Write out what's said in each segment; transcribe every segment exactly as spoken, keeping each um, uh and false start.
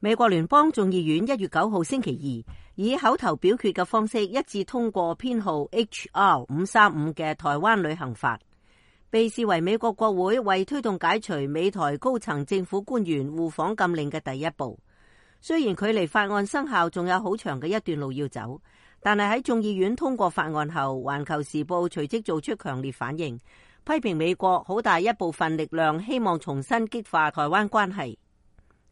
美國聯邦眾議院一月九號星期二以口頭表決嘅方式一致通過編號 H R 五三五嘅台灣旅行法，被視為美國國會為推動解除美台高層政府官員互訪禁令嘅第一步。雖然距離法案生效仲有好長嘅一段路要走，但係喺眾議院通過法案後，環球時報隨即做出強烈反應，批評美國好大一部分力量希望重新激化台灣關係。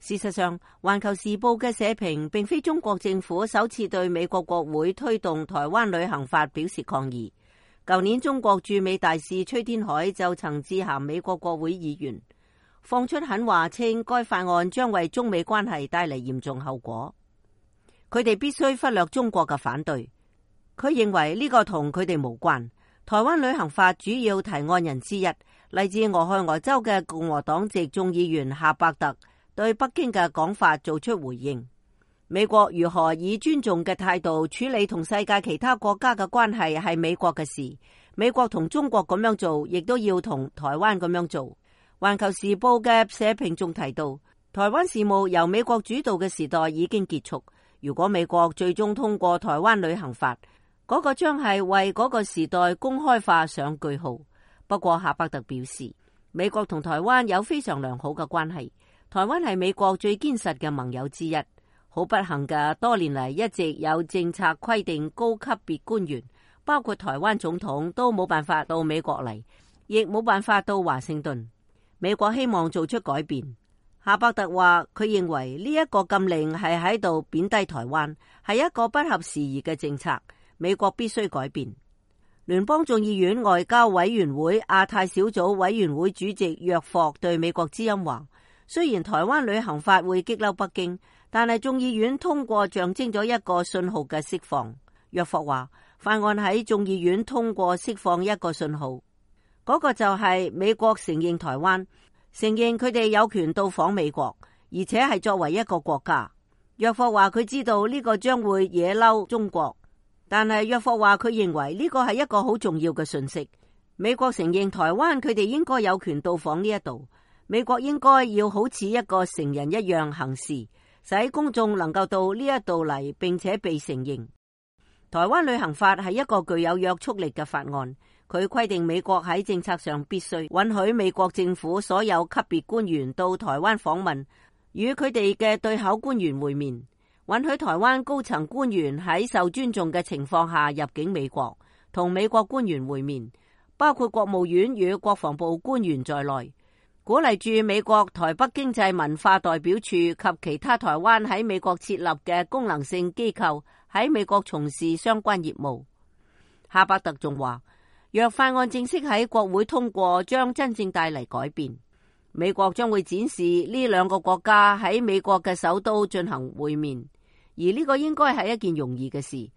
事實上，環球時報嘅社評並非中國政府首次對美國國會推動台灣旅行法表示抗議。舊年中國駐美大使崔天凱就曾致函美國國會議員，放出狠話，稱該法案將為中美關係帶嚟嚴重後果。佢哋必須忽略中國嘅反對。佢認為呢個同佢哋無關。台灣旅行法主要提案人之一，嚟自俄亥俄州嘅共和黨籍眾議員夏伯特對北京嘅講法做出回應。美國如何以尊重嘅態度處理同世界其他國家嘅關係係美國嘅事，美國同中國咁樣做，亦都要同台灣咁樣做。環球時報嘅社評仲提到，台灣事務由美國主導嘅時代已經結束。如果美國最終通過台灣旅行法，嗰、那個將係為嗰個時代公開化上句號。不過夏伯特表示，美國同台灣有非常良好嘅關係。台灣係美國最堅實嘅盟友之一。好不幸嘅，多年嚟一直有政策規定高級別官員，包括台灣總統，都冇辦法到美國嚟，亦冇辦法到華盛頓。美國希望做出改變。夏伯特話，佢認為呢一個禁令係喺度貶低台灣，係一個不合時宜嘅政策。美國必須改變。聯邦眾議院外交委員會亞太小組委員會主席約霍對美國之音話，雖然台灣旅行法會激嬲北京，但係眾議院通過象徵咗一個信號嘅釋放。約霍話，法案喺眾議院通過釋放一個信號，嗰、那個就係美國承認台灣，承認佢哋有權到訪美國，而且係作為一個國家。約霍話佢知道呢個將會惹嬲中國，但係約霍話佢認為呢個係一個好重要嘅訊息。美國承認台灣，佢哋應該有權到訪呢一度。美國應該要好似一個成人一樣行事，使公眾能夠到呢一度嚟，並且被承認。台灣旅行法係一個具有約束力嘅法案，佢規定美國喺政策上必須允許美國政府所有級別官員到台灣訪問，與佢哋嘅對口官員會面，允許台灣高層官員喺受尊重嘅情況下入境美國，同美國官員會面，包括國務院與國防部官員在內。鼓勵駐美國台北經濟文化代表處及其他台灣喺美國設立嘅功能性機構喺美國從事相關業務。夏伯特仲話，若法案正式喺國會通過，將真正帶嚟改變。美國將會展示呢兩個國家喺美國嘅首都進行會面，而呢個應該係一件容易嘅事。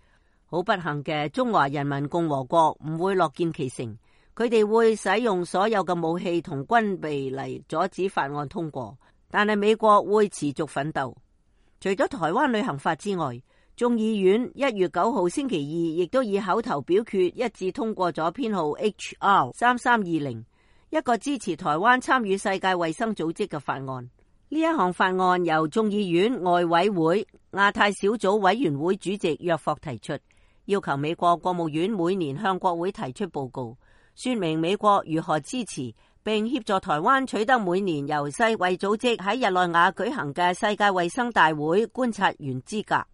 好不幸嘅，中華人民共和國唔會樂見其成。佢哋會使用所有嘅武器同軍備嚟阻止法案通過，但係美國會持續奮鬥。除咗台灣旅行法之外，眾議院一月九號星期二亦都以口頭表決一致通過咗編號 H R 三三二零，一個支持台灣參與世界衛生組織嘅法案。呢一項法案由眾議院外委會亞太小組委員會主席約霍提出，要求美國國務院每年向國會提出報告，說明美國如何支持並協助台灣取得每年由世衛組織喺日內瓦舉行嘅世界衛生大會觀察員資格。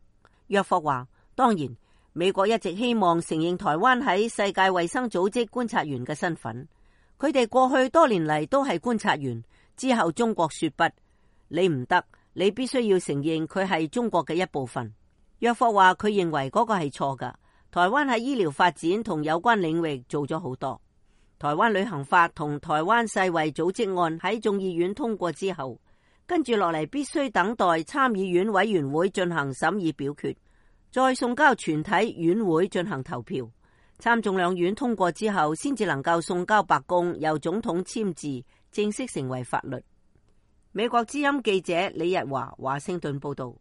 約霍話，當然，美國一直希望承認台灣喺世界衛生組織觀察員嘅身份。佢哋過去多年嚟都係觀察員。之後中國說不，你唔得，你必須要承認佢係中國嘅一部分。約霍話佢認為嗰個係錯㗎。台灣喺醫療發展同有關領域做咗好多。台灣旅行法同台灣世衛組織案喺眾議院通過之後，跟住落嚟必須等待參議院委員會進行審議表決，再送交全體院會進行投票。參眾兩院通過之後，先至能夠送交白宮，由總統簽字，正式成為法律。美國之音記者李日華華盛頓報道。